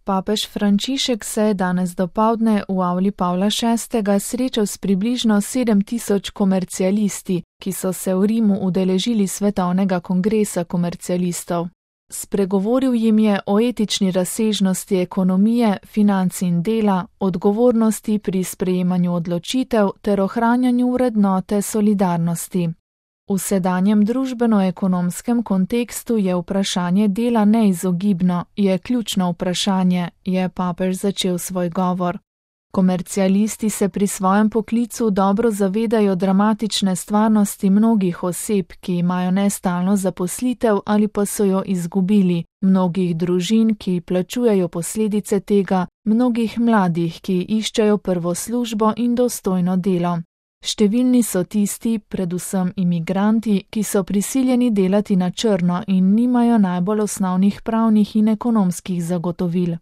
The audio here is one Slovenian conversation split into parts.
Papež Frančišek se je danes dopoldne v avli Pavla VI. Srečal s približno 7000 komercialisti, ki so se v Rimu udeležili svetovnega kongresa komercialistov. Spregovoril jim je o etični razsežnosti ekonomije, financ in dela, odgovornosti pri sprejemanju odločitev ter ohranjanju vrednote solidarnosti. V sedanjem družbeno-ekonomskem kontekstu je vprašanje dela neizogibno, je ključno vprašanje, je papež začel svoj govor. Komercialisti se pri svojem poklicu dobro zavedajo dramatične stvarnosti mnogih oseb, ki imajo nestalno zaposlitev ali pa so jo izgubili, mnogih družin, ki plačujejo posledice tega, mnogih mladih, ki iščejo prvo službo in dostojno delo. Številni so tisti, predvsem imigranti, ki so prisiljeni delati na črno in nimajo najbolj osnovnih pravnih in ekonomskih zagotovil.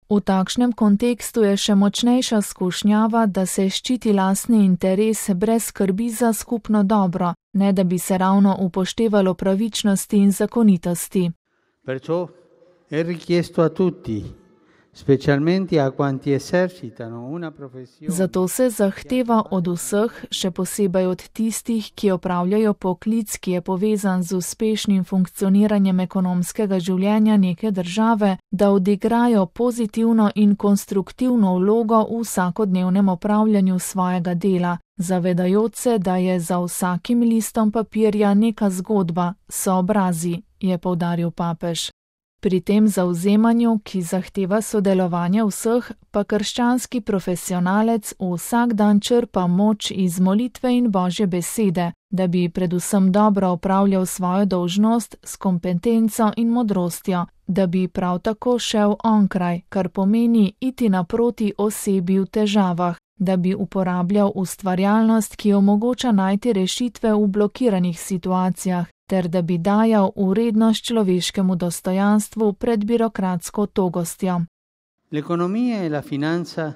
V takšnem kontekstu je še močnejša skušnjava, da se ščiti lastni interes brez skrbi za skupno dobro, ne da bi se ravno upoštevalo pravičnosti in zakonitosti. Perciò è richiesto a tutti, specialmente a quanti esercitano una professione. Zato se zahteva od vseh, še posebej od tistih, ki opravljajo poklic, ki je povezan z uspešnim funkcioniranjem ekonomskega življenja neke države, da odigrajo pozitivno in konstruktivno vlogo v vsakodnevnem opravljanju svojega dela, zavedajoč se, da je za vsakim listom papirja neka zgodba, so obrazi, je poudaril papež. Pri tem zavzemanju, ki zahteva sodelovanje vseh, pa krščanski profesionalec vsak dan črpa moč iz molitve in Božje besede, da bi predvsem dobro opravljal svojo dolžnost s kompetenco in modrostjo, da bi prav tako šel onkraj, kar pomeni iti naproti osebi v težavah, da bi uporabljal ustvarjalnost, ki omogoča najti rešitve v blokiranih situacijah, ter da bi dajal vrednost človeškemu dostojanstvu pred birokratsko togostjo. L'economia e la finanza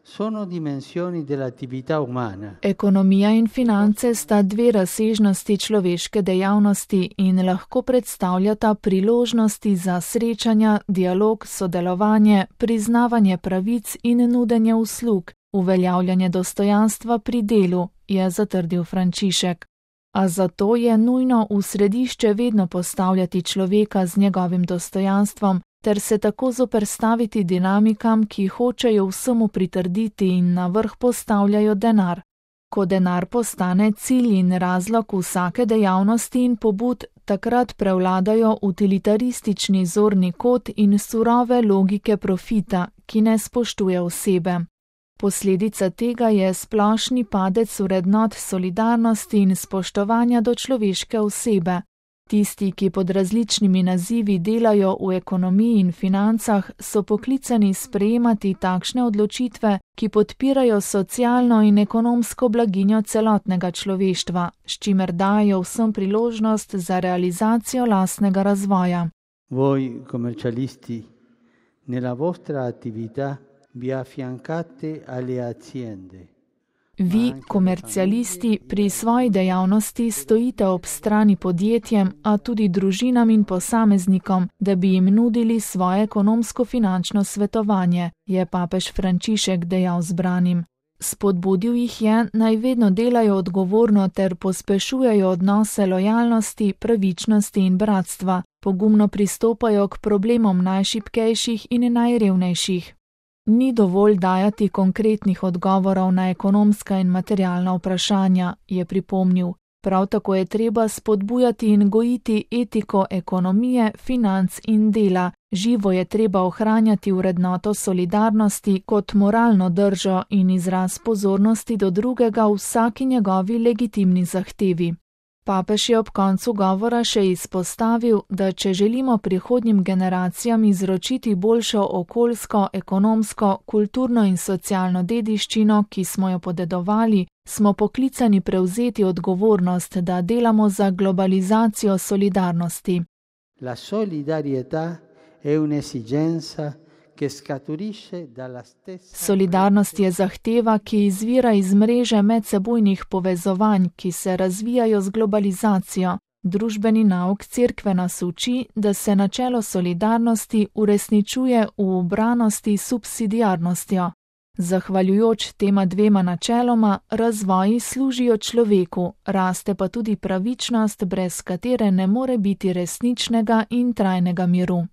sono dimensioni dell'attività umana. Ekonomija in finance sta dve razsežnosti človeške dejavnosti in lahko predstavljata priložnosti za srečanja, dialog, sodelovanje, priznavanje pravic in nudenje uslug, uveljavljanje dostojanstva pri delu, je zatrdil Frančišek. A zato je nujno v središče vedno postavljati človeka z njegovim dostojanstvom ter se tako zoperstaviti dinamikam, ki hočejo vsemu pritrditi in na vrh postavljajo denar. Ko denar postane cilj in razlog vsake dejavnosti in pobud, takrat prevladajo utilitaristični zorni kot in surove logike profita, ki ne spoštuje osebe. Posledica tega je splošni padec vrednot solidarnosti in spoštovanja do človeške osebe. Tisti, ki pod različnimi nazivi delajo v ekonomiji in financah, so poklicani sprejemati takšne odločitve, ki podpirajo socialno in ekonomsko blaginjo celotnega človeštva, s čimer dajo vsem priložnost za realizacijo lastnega razvoja. Voi, commercialisti, nella vostra attività vi affiancate alle aziende. Vi, komercialisti, pri svoji dejavnosti stojite ob strani podjetjem, a tudi družinam in posameznikom, da bi jim nudili svoje ekonomsko-finančno svetovanje, je papež Frančišek dejal zbranim. Spodbudil jih je, naj vedno delajo odgovorno ter pospešujejo odnose lojalnosti, pravičnosti in bratstva, pogumno pristopajo k problemom najšibkejših in najrevnejših. Ni dovolj dajati konkretnih odgovorov na ekonomska in materialna vprašanja, je pripomnil. Prav tako je treba spodbujati in gojiti etiko ekonomije, financ in dela. Živo je treba ohranjati vrednoto solidarnosti kot moralno držo in izraz pozornosti do drugega v vsaki njegovi legitimni zahtevi. Papež je ob koncu govora še izpostavil, da če želimo prihodnjim generacijam izročiti boljšo okoljsko, ekonomsko, kulturno in socialno dediščino, ki smo jo podedovali, smo poklicani prevzeti odgovornost, da delamo za globalizacijo solidarnosti. La solidarietà è un'esigenza che scaturisce dalla stessa. Solidarnost je zahteva, ki izvira iz mreže medsebojnih povezovanj, ki se razvijajo z globalizacijo. Družbeni nauk cerkve nas uči, da se načelo solidarnosti uresničuje v ubranosti s subsidiarnostjo. Zahvaljujoč tema dvema načeloma, razvoji služijo človeku, raste pa tudi pravičnost, brez katere ne more biti resničnega in trajnega miru.